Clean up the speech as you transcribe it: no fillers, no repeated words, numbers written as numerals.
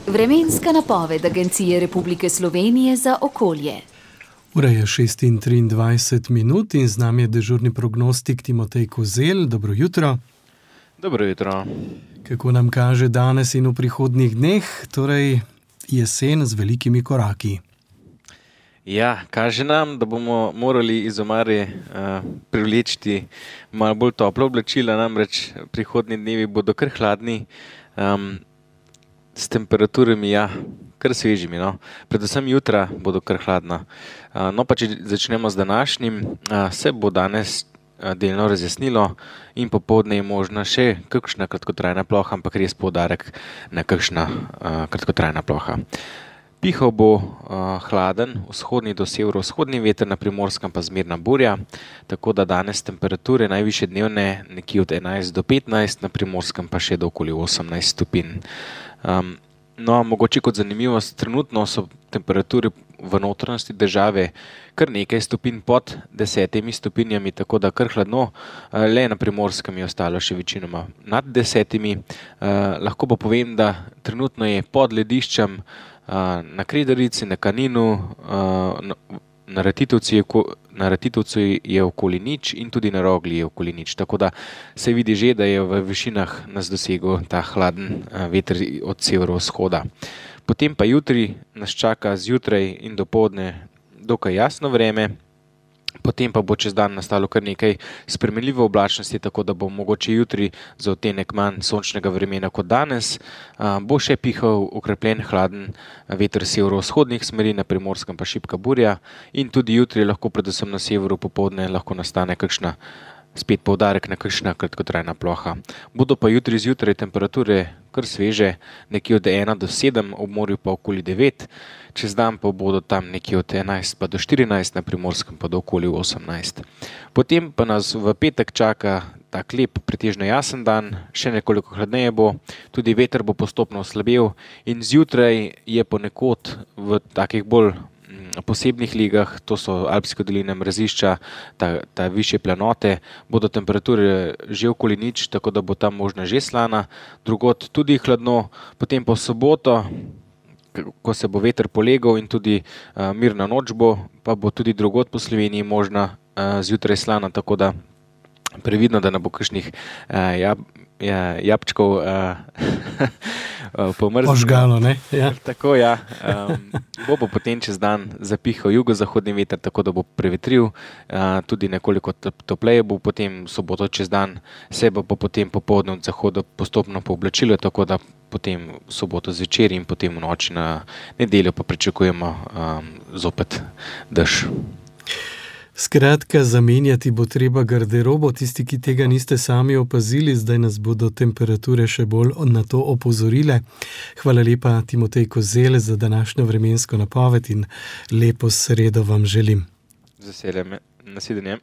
Vremenska napoved Agencije Republike Slovenije za okolje. Ura je 6:23 in z nami je dežurni prognostik Timotej Kozelj. Dobro jutro. Dobro jutro. Kako nam kaže danes in v prihodnjih dneh, torej jesen z velikimi koraki? Ja, kaže nam, da bomo morali iz omare privleči malo bolj toplo oblačila, namreč prihodnji dnevi bodo kar hladni, s temperaturami, kar svežimi, no. Predvsem jutra bodo kar hladna. No, pa če začnemo z današnjim, se bo danes delno razjasnilo in popoldne je možna še kakšna kratkotrajna ploha, ampak res poudarek na kakšna kratkotrajna ploha. Pihal bo hladen, vzhodni do severovzhodni veter, na Primorskem pa zmerna burja, tako da danes temperature najvišje dnevne nekje od 11 do 15, na Primorskem pa še do okoli 18 stopinj. No, mogoče kot zanimivost, trenutno so temperature v notranjosti države kar nekaj stopinj pod 10 stopinjami, tako da kar hladno, le na Primorskem je ostalo še večinoma nad 10. Lahko pa povem, da trenutno je pod lediščem na Kredarici, na Kaninu, na Ratitovcu je okoli nič in tudi na Rogli je okoli nič. Tako da se vidi že, da je v višinah nas dosegel ta hladen veter od severovzhoda. Potem pa jutri nas čaka zjutraj in dopoldne dokaj jasno vreme, potem pa bo čez dan nastalo kar nekaj spremenljive oblačnosti, tako da bo mogoče jutri za odtenek manj sončnega vremena kot danes. Bo še pihal okrepljen hladen veter severovzhodnih smeri, na Primorskem pa šibka burja in tudi jutri lahko predvsem na severu popoldne lahko nastane kakšna, spet poudarek na kakšna kratkotrajna ploha. Bodo pa jutri zjutraj temperature kar sveže, nekje od 1 do 7, ob morju pa okoli 9, čez dan pa bodo tam nekje od 11 pa do 14, na Primorskem pa do okoli 18. Potem pa nas v petek čaka tak lep, pretežno jasen dan, še nekoliko hladneje bo, tudi veter bo postopno oslabel in zjutraj je ponekod v takih bolj posebnih ligah, to so Alpske doline, mrazišča, ta višje planote, bodo temperature že okoli nič, tako da bo tam možna že slana, drugod tudi hladno, potem pa v soboto, ko se bo veter polegal in tudi mirna noč bo, pa bo tudi drugod po Sloveniji možna zjutraj slana, tako da previdno, da ne bo kakšnih jabčkov pomrzlo. Ožgalo, ne? Ja. Tako, bo pa potem čez dan zapihal jugozahodni veter, tako da bo prevetril, tudi nekoliko topleje bo potem soboto čez dan, se bo pa potem popoldne od zahoda postopno pooblačilo, tako da potem soboto zvečer in potem v noči na nedeljo pa pričakujemo zopet dež. Skratka, zamenjati bo treba garderobo, tisti, ki tega niste sami opazili, zdaj nas bodo temperature še bolj na to opozorile. Hvala lepa, Timotej Kozelj, za današnjo vremensko napoved in lepo sredo vam želim. Z veseljem, nasvidenje.